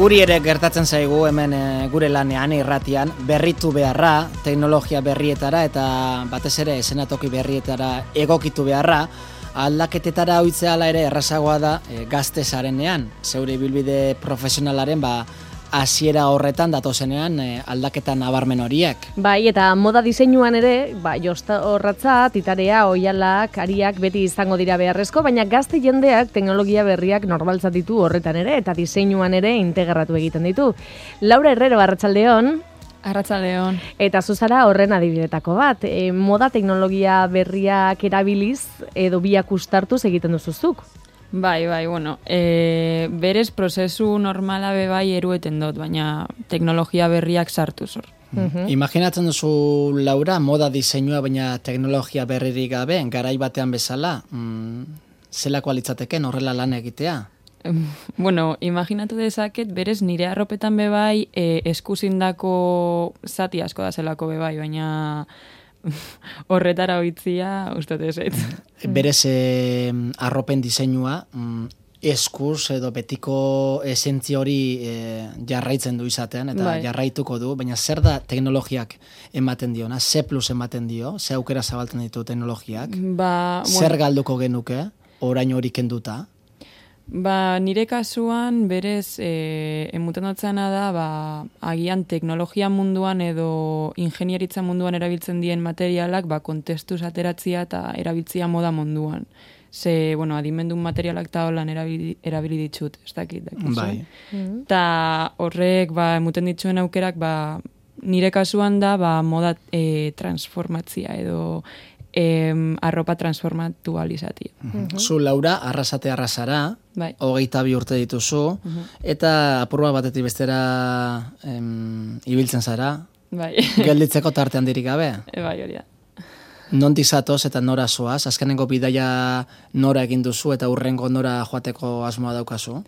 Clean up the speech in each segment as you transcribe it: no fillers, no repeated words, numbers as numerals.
Guri ere gertatzen zaigu hemen gure lanean irratian berritu beharra, teknologia berrietara eta batez ere eszenatoki berrietara egokitu beharra, aldaketetara ohitzea hala ere errazagoa da gazte zarenean, zeure ibilbide profesionalaren hasiera horretan datozenean aldaketa nabarmen horiek. Bai, eta moda diseinuan ere, Josta Orratza, Titarea, Oihalak, Ariak beti izango dira beharrezko, baina gazte jendeak teknologia berriak normaltzat ditu horretan ere, eta diseinuan ere integratu egiten ditu. Laura Herrero, arratsaldeon. Arratsaldeon. Eta zuzara horren adibidetako bat, moda teknologia berriak erabiliz edo biak ustartuz egiten duzuzuk. Bai, bueno, berez prozesu normala bai erueten dut, baina teknologia berriak sartu zor. Imaginatzen duzu, Laura, moda diseinua baina teknologia berririk gabe, garai batean bezala, zelako litzateken horrela lan egitea? Bueno, imaginatu dezaket, berez nire arropetan bai eskuzindako zati asko da zelako bai, baina horretara ohitzia ustot ez. Berez arropen diseinua eskuz edo betiko esentzia hori jarraitzen du izatean eta jarraituko du, baina zer da teknologiak ematen diona, ze plus ematen dio, ze aukera zabaltzen ditu teknologiak, zer galduko genuke, orain hori kenduta? Nire kasuan berez emuten dutzena da agian teknologia munduan edo ingenieritza munduan erabiltzen dien materialak kontestuz ateratzia eta erabiltzia moda munduan. Ze, adimendun materialak eta holan erabili ditut, ez dakit. Bai. Eta horrek emuten dituen aukerak nire kasuan da moda transformatzia edo arropa transformatu alizatia. Zu, Laura, arrasara, 22 urte dituzu, eta apurua batetik bestera ibiltzen zara, gelditzeko tartean dirik gabe. Bai, hori da. Nondik zatoz eta nora zoaz? Azkenengo bidaia nora egin duzu eta hurrengo nora joateko asmoa daukazu?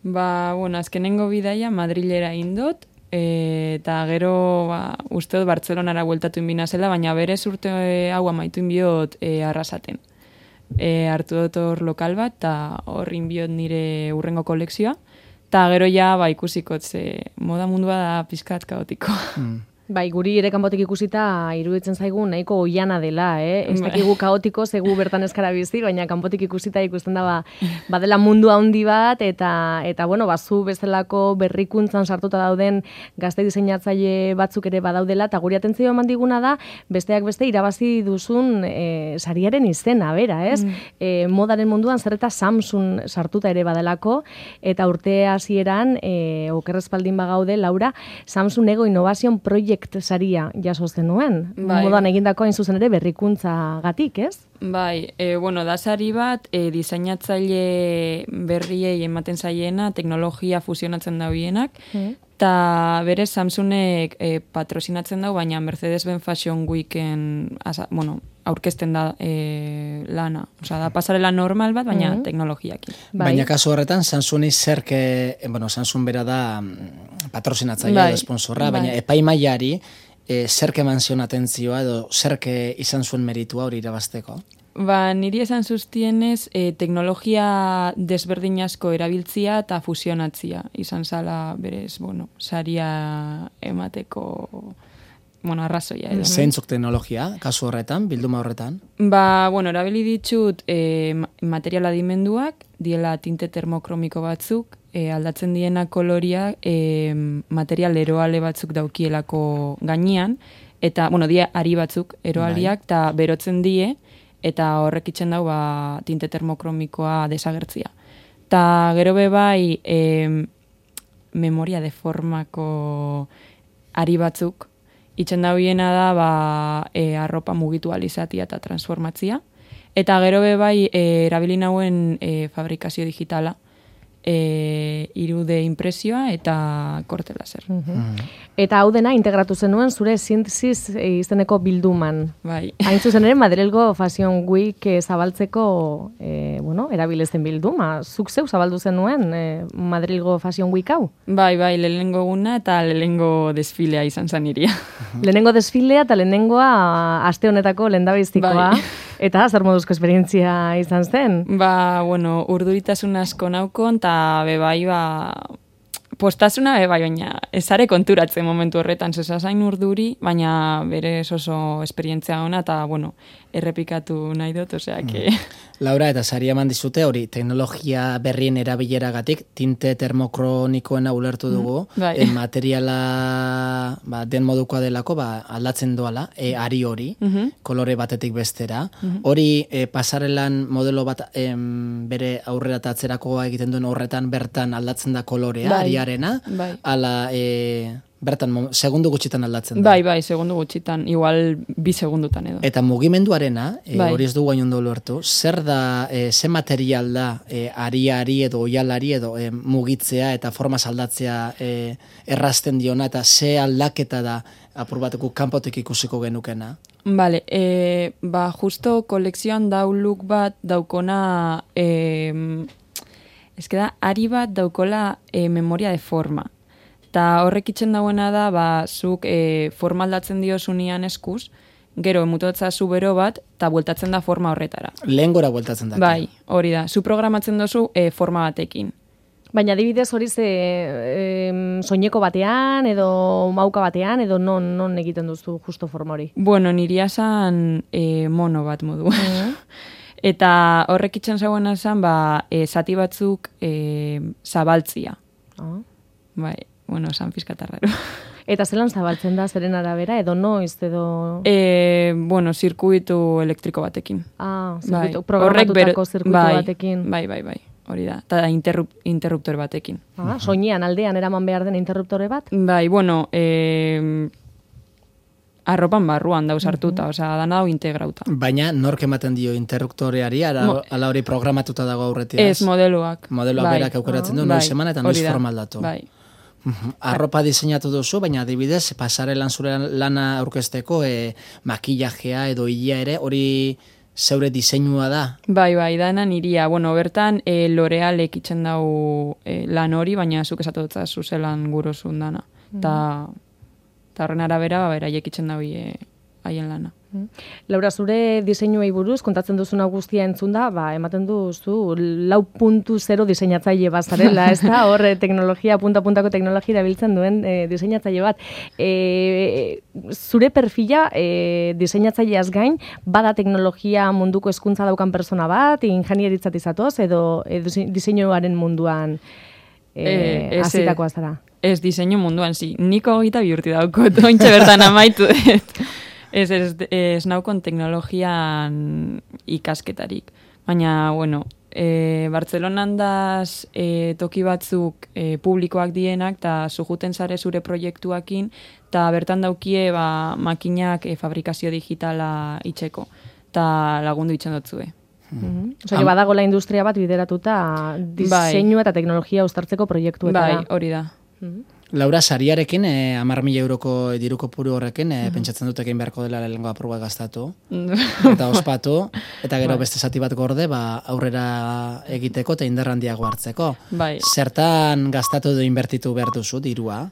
Azkenengo bidaia Madrilera indot, eta gero uste dut Bartzelonara bueltatu inbina zela, baina berez urte hau amaitu inbiot arrasaten. Hartu dut hor lokal bat, eta hor inbiot nire urrengo kolekzioa, eta gero ikusiko, moda mundua da pizkat kaotiko. Bai, guri ere kanpotik ikusita iruditzen zaigu nahiko oiana dela, Ez dakigu kaotiko, zegu bertan eskara bizi, baina kanpotik ikusita ikusten da badela mundu handi bat, eta zu bezalako berrikuntzan sartuta dauden gazte diseinatzaile batzuk ere badaudela, eta guri atentzio eman diguna da, besteak beste irabazi duzun sariaren izena, bera, ez? Modaren munduan zer eta Samsung sartuta ere badelako, eta urte hasieran okerrezpaldin bagaude, Laura, Samsung Ego Innovation Project saria jaso zenuen. Modan egindako hain zuzen ere berrikuntza gatik, ez? Bai, da sari bat diseinatzaile berriei ematen zaiena, teknologia fusionatzen dauienak, eta berez Samsungek patrosinatzen dau, baina Mercedes-Benz Fashion Weeken aurkezten da lana. Da pasarela normal bat, baina teknologiakin. Baina kasu horretan, Samsungi Samsung bera da patrosinatzailea edo sponsorra, baina epaimaiari zerke eman zion atentzioa edo zerke izan zuen meritua hori irabazteko? Niri esan zuztienez teknologia desberdin asko erabiltzia eta fusionatzia. Izan zala berez, saria emateko arrazoia. Zeintzuk teknologia, kasu horretan, bilduma horretan? Erabili ditut material adimenduak, diela tinte termokromiko batzuk, aldatzen diena koloria material eroale batzuk daukielako gainean, eta, die ari batzuk eroaliak, eta berotzen die, eta horrek itzen dau tinte termokromikoa desagertzia. Ta gero bai memoria deformako ari batzuk, itzen dauiena da arropa mugitualizatia eta transformatzia. Eta gero bai erabili nauen fabrikazio digitala, 3D impresioa eta korte laser. Eta hau dena integratu zenuen zure Sintesis izeneko bilduman. Bai. Hain zuzen ere Madrilgo Fashion Week zabaltzeko erabilezen bilduma. Zuk zeu zabaldu zenuen Madrilgo Fashion Week hau? Bai, lehenengo eguna eta lehenengo desfilea izan zan iria. Lehenengo desfilea eta lehenengoa aste honetako lehendabiztikoa. Bai. Eta zer moduzko esperientzia izan zen? Urduritasun asko naukon, eta bebai, Postasuna bai, baina ezare konturatzen momentu horretan, zezazain urduri, baina berez oso esperientzia ona, eta, bueno, errepikatu nahi dut, osea, que... Laura, eta sari eman dizute hori, teknologia berrien erabileragatik, tinte termokronikoena ulertu dugu, materiala den modukoa delako, aldatzen doala, ari hori, kolore batetik bestera. Hori, pasarelan modelo bat bere aurrera eta atzerakoa egiten duen horretan bertan aldatzen da kolorea, ariarena, ala... Bertan, segundu gutxitan aldatzen da. Bai, segundu gutxitan, igual 2 segundutan edo. Eta mugimenduarena, hori ez dugu gainondo lortu, zer da, ze material da ariari edo oialari edo mugitzea eta forma aldatzea errazten diona, eta ze aldaketa da apur bateko kanpotik ikusiko genukena? Vale, justo kolekzioan look bat daukona, da, ari bat daukola memoria de forma. Eta horrek itxen dauena da, zuk forma aldatzen diosunian eskuz, gero emutotza zu bero bat, eta bueltatzen da forma horretara. Lehen gora bueltatzen da. Bai, hori da. Zu programatzen dozu forma batekin. Baina adibidez hori soineko batean, edo mauka batean, edo non egiten duzu justo forma hori? Bueno, niria zan mono bat modu. Eta horrek itxen zauena zan, zati batzuk zabaltzia. Bai. Bueno, esan pizkatarraro. Eta zelan zabaltzen da, zeren arabera, edo noiz, edo... Bueno, zirkuitu elektriko batekin. Programatutako zirkuitu batekin. Bai, hori da. Eta interruptor batekin. Soinean, aldean, eraman behar den interruptore bat? Bai, bueno, arropan barruan dauz hartuta, dana hau integrauta. Baina, nork ematen dio interruptoreari, ala hori programatuta dago aurretiaz? Ez, modeloak. Modeloak berak aukeratzen du, noiz eman eta noiz forma aldatu. Bai. Arropa diseinatu duzu, baina adibidez, pasarelan zure lana aurkezteko makillajea edo hilea ere, hori zeure diseinua da? Bai, dana niria. Bueno, bertan L'Orealek itzen dau lan hori, baina zuk esatu dutza zuzelan gurozun dana. Eta horren arabera, beraiek itzen dau haien lana. Laura, zure diseinuei buruz, kontatzen duzuna guztia entzunda, ematen duzu 4.0 diseinatzaile bazarela, ez da? Hor, punta-puntako teknologia erabiltzen duen diseinatzaile bat. Zure perfila diseinatzaileaz gain, bada teknologia munduko hezkuntza daukan persona bat, ingenieritzat izatoz, edo diseinuaren munduan hasitakoa zara? Ez, diseinu munduan, niko 22 urte daukot, ointxe bertan amaitu dut. Ez naukon teknologian ikasketarik. Baina, bueno, Bartzelonan daz toki batzuk publikoak dienak, eta zujuten zare zure proiektuakin, eta bertan daukie makinak fabrikazio digitala itxeko, eta lagundu itxen dotzue. Osa, badagola industria bat bideratuta diseinu eta teknologia uztartzeko proiektuetara. Bai, hori da. Laura, sariarekin, 10.000 euroko diruko puru horrekin, pentsatzen dut egin beharko dela lehengo apur bat gastatu, eta ospatu, eta gero beste zati bat gorde, aurrera egiteko eta indar handiago hartzeko. Zertan gastatu edo inbertitu behar duzu, dirua?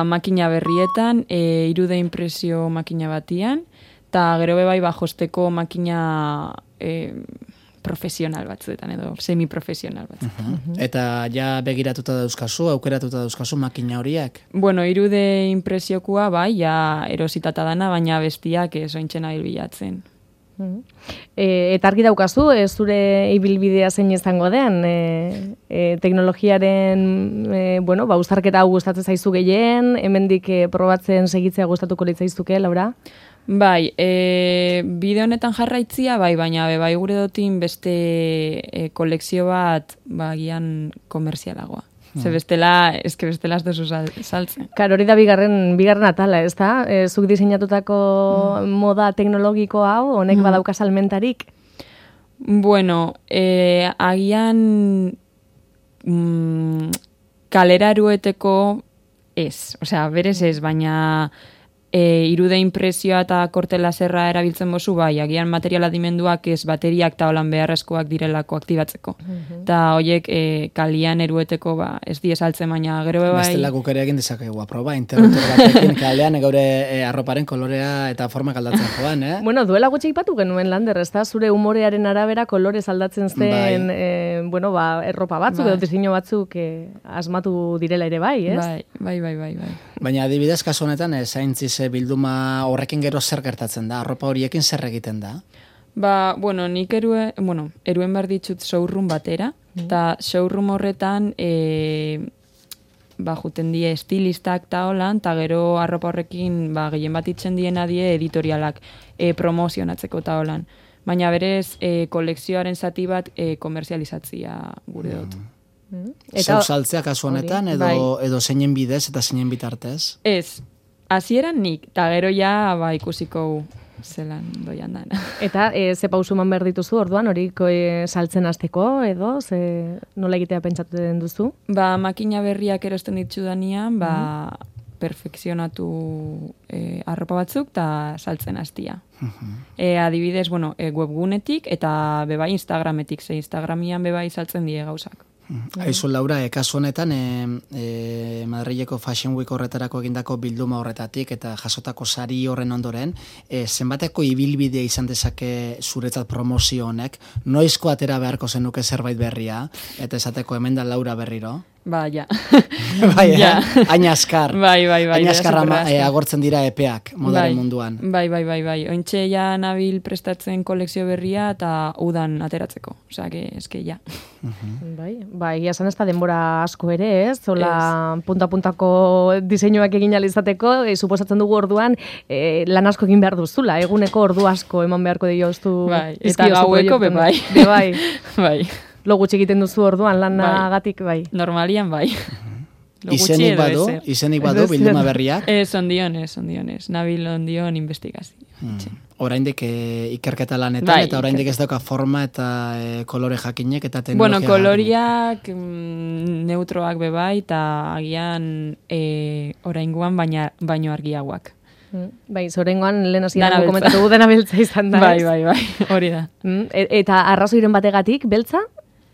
Makina berrietan, 3D impresio makina batian, eta gero bebai josteko makina profesional batzuetan edo semiprofesional batzuetan. Eta ja begiratuta dauzkazu, aukeratuta dauzkazu makina horiek? Bueno, 3D impresiokoa ja erositata dana, baina bestiak ointxen abil bilatzen. Eta argi daukazu, zure ibilbidea zein izango den, teknologiaren, uztarketa hau gustatzen zaizu gehien, hemendik probatzen segitzea gustatuko litzaizuke, Laura? Bai, bideo honetan jarraitzia, baina bai gure dotin beste kolekzio bat gian komerzialagoa. Ze bestela ez dozu saltzen. Karo, hori da bigarren atala, ez da? Zuk diseinatutako moda teknologiko hau, honek badauka salmentarik? Bueno, agian kalera erueteko ez. Osea, berez ez, baina 3D impresioa eta korte laserra erabiltzen bozu, agian materiala dimenduak ez bateriak eta holan beharrezkoak direlako aktibatzeko. Eta horiek kalian erueteko ez die saltzen, baina gero bai... Bestela guk ere egin dezakegu aproba, interruptor batekin kalean gaure arroparen kolorea eta formak aldatzen joan, Bueno, duela gutxi ipatu genuen, Lander, ez da? Zure umorearen arabera kolorez aldatzen zen bueno, erropa batzuk edo diseinu batzuk asmatu direla ere bai, ez? Bai. Baina adibidez, kasu honetan, zaintziz bilduma horrekin gero zer gertatzen da? Arropa horiekin zer egiten da? Nik eruen behar ditut showroom batera, eta showroom horretan juten die estilistak eta holan, eta gero arropa horrekin gehien bat itzen diena die editorialak promozionatzeko eta holan. Baina berez, kolekzioaren zati bat komerzializatzia gure dut. Zeu saltzea kasu honetan, edo zeinen bidez eta zeinen bitartez? Ez, hasieran nik, eta gero ja ikusiko zelan doian da. Eta ze pausu eman behar dituzu orduan, hori saltzen hasteko edo, nola egitea pentsatu den duzu? Makina berriak erosten ditzu danean, perfekzionatu arropa batzuk eta saltzen hastia. Adibidez, webgunetik eta bebai Instagrametik, Instagramian bebai saltzen die gauzak. Aizu, Laura, kasu honetan, Madrileko Fashion Week horretarako egindako bilduma horretatik eta jasotako sari horren ondoren, zenbateko ibilbidea izan dezake zuretzat promozio honek, noizko atera beharko zenuke zerbait berria, eta esateko hemen da Laura berriro? Ja. Aina askar. Bai. Aina askar agortzen dira epeak modaren munduan. Bai. Ointxe ja nabil prestatzen kolekzio berria eta udan ateratzeko. Osea, eske ja. Bai, esan ez da denbora asko ere, ez? Zola punta-puntako diseinuak egin alizateko, suposatzen dugu orduan lan asko egin behar duzula, eguneko ordu asko eman beharko dioztu. Bai, eta gaueko bai. Bai. Lo gutxi egiten duzu orduan lanagatik, bai. Normalian, bai. Izenik badu bilduma berriak? Ez, ondionez. Nabil ondion investigazio. Oraindik ikerketa lanetan, eta oraindik ez dauka forma eta kolore jakinek eta teknologia. Koloriak neutroak bebai, eta agian oraingoan baino argiagoak. Bai, zorengoan lehen hasieran komentatu dena beltza izan da. Bai, hori da. Eta arrazoiren bategatik, beltza?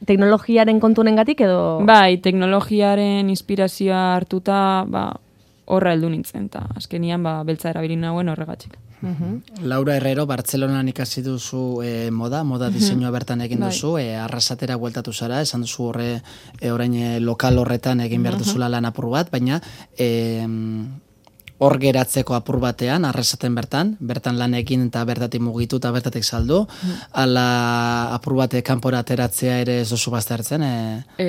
Teknologiaren kontunengatik edo? Bai, teknologiaren inspirazioa hartuta, horra heldu nintzen, eta azkenian beltza erabili nauen horregatik. Laura Herrero, Bartzelonan ikasi duzu moda diseinua bertan egin duzu, arrasatera bueltatu zara, esan duzu orain lokal horretan egin behar duzula lan apur bat, baina hor geratzeko apur batean, arrasaten bertan lan egin eta bertatik mugitu eta bertatik saldu, ala apur bate kanpora ateratzea ere ez duzu baztertzen,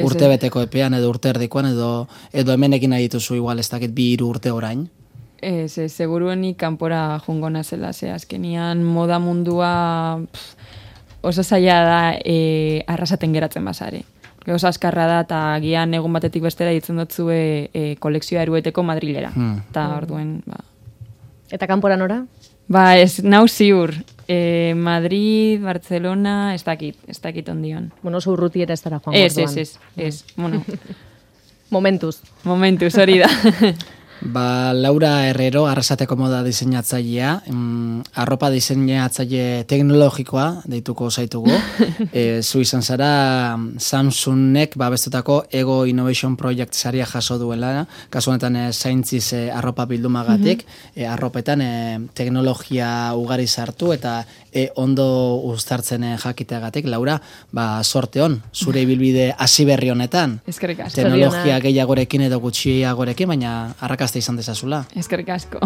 urtebeteko epean edo urte erdikoan edo hemen egin nahi dituzu igual ez dakit 2-3 urte orain. Seguruenik kanpora jungo nazela, azkenian moda mundua oso zaila da arrasaten geratzen bazare. Oso askarra da, eta gian egun batetik bestera ditzen dutzue kolekzioa erueteko Madrilera. Eta orduen, Eta kanpora nora? Ez nau ziur. Madrid, Barcelona, ez dakit ondion. Bueno, oso urrutiera ez dara joan orduan. Ez. Bueno. Momentuz, hori da. Laura Herrero, arrasateko moda diseinatzailea, arropa diseinatzaile teknologikoa deituko zaitugu. Zu izan zara Samsungek babestutako Ego Innovation Project saria jaso duela, kasu honetan zaintziz arropa bildumagatik, arropetan teknologia ugari sartu eta ondo uztartzen jakiteagatik. Laura, sorte hon, zure ibilbide hasi berri honetan. Eskerrik asko. Teknologia gehiagorekin edo gutxiagorekin, baina arrakasta izan dezazula. Eskerrik asko.